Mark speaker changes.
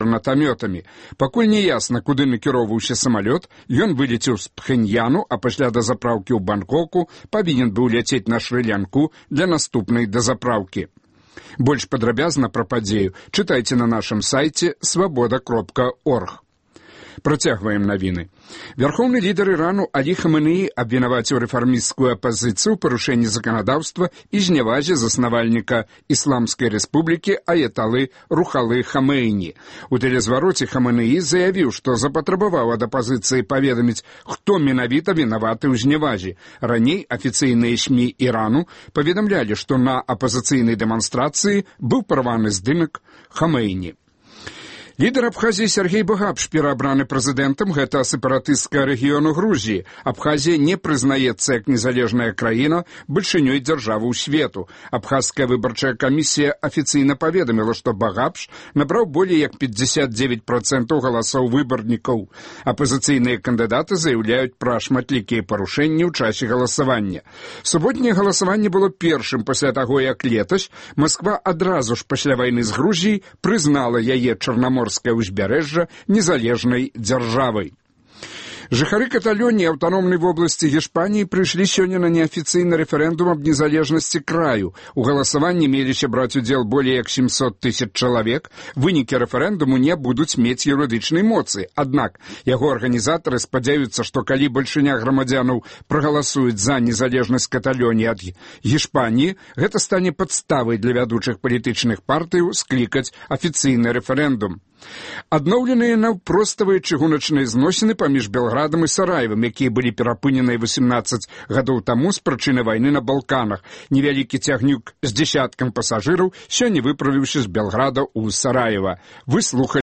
Speaker 1: гранатамётамі. Пакуль не ясна, куды накіроўваўся самалёт, ён вылецеў з Пхеньяну, а пасля дазапраўкі ў Бангкоку павінен быў ляцець на Шры-Лянку для наступнай дазапраўкі. Больш падрабязна пра падзею чытайце на нашым сайце свабода.орг. Працягваем навіны. Вярхоўны лідар Ірану Алі Хаменеі абвінаваціў рэфармісцкую апазіцыю ў парушэнні заканадаўства і знявазе заснавальніка Ісламскай рэспублікі аяталы Рухалы Хамейні. У тэлезвароце Хаменеі заявіў, што запатрабаваў ад апазіцыі паведаміць, хто менавіта вінаваты ў знявазе. Раней афіцыйныя СМІ Ірану паведамлялі, што на апазіцыйнай дэманстрацыі быў парваны здымак Хамейні. Лідар Абхазіі Сергей Багапш пераабраны прэзідэнтам гэта сепаратысцкага рэгіёну Грузіі. Абхазія не прызнаецца як незалежная краіна бальшынёй дзяржавы ў свету. Абхазская выбарчая камісія афіцыйна паведаміла, што Багапш набраў болей як 59% галасоў выбарнікаў. Апазіцыйныя кандыдаты заяўляюць пра шматлікія парушэнні ў часе галасавання. Суботняе галасаванне было першым пасля таго, як летась Масква адразу ж пасля вайны з Грузіяй прызнала яе Чарнаморскае ўзбярэжжа незалежнай дзяржавай. Жыхары Каталоніі аўтаномнай вобласці Гішпаніі прыйшлі сёння на неафіцыйны рэферэндум аб незалежнасці краю. У галасаванні меліся браць удзел болей як 700 000 чалавек. Вынікі рэферэндуму не будуць мець юрыдычнай моцы. Аднак яго арганізатары спадзяюцца, што калі бальшыня грамадзянаў прагаласуюць за незалежнасць Каталоніі ад Гішпаніі, гэта стане падставай для вядучых палітычных партыяў склікаць афіцыйны рэферэндум. Адноўленыя наўпроставыя чыгуначныя зносіны паміж Белградам і Сараевым, якія былі перапыненыя 18 гадоў таму з прычыны вайны на Балканах. Невялікі цягнюк з дзесяткам пасажыраў сёння выправіўся з Белграда ў Сараева. Вы слухалі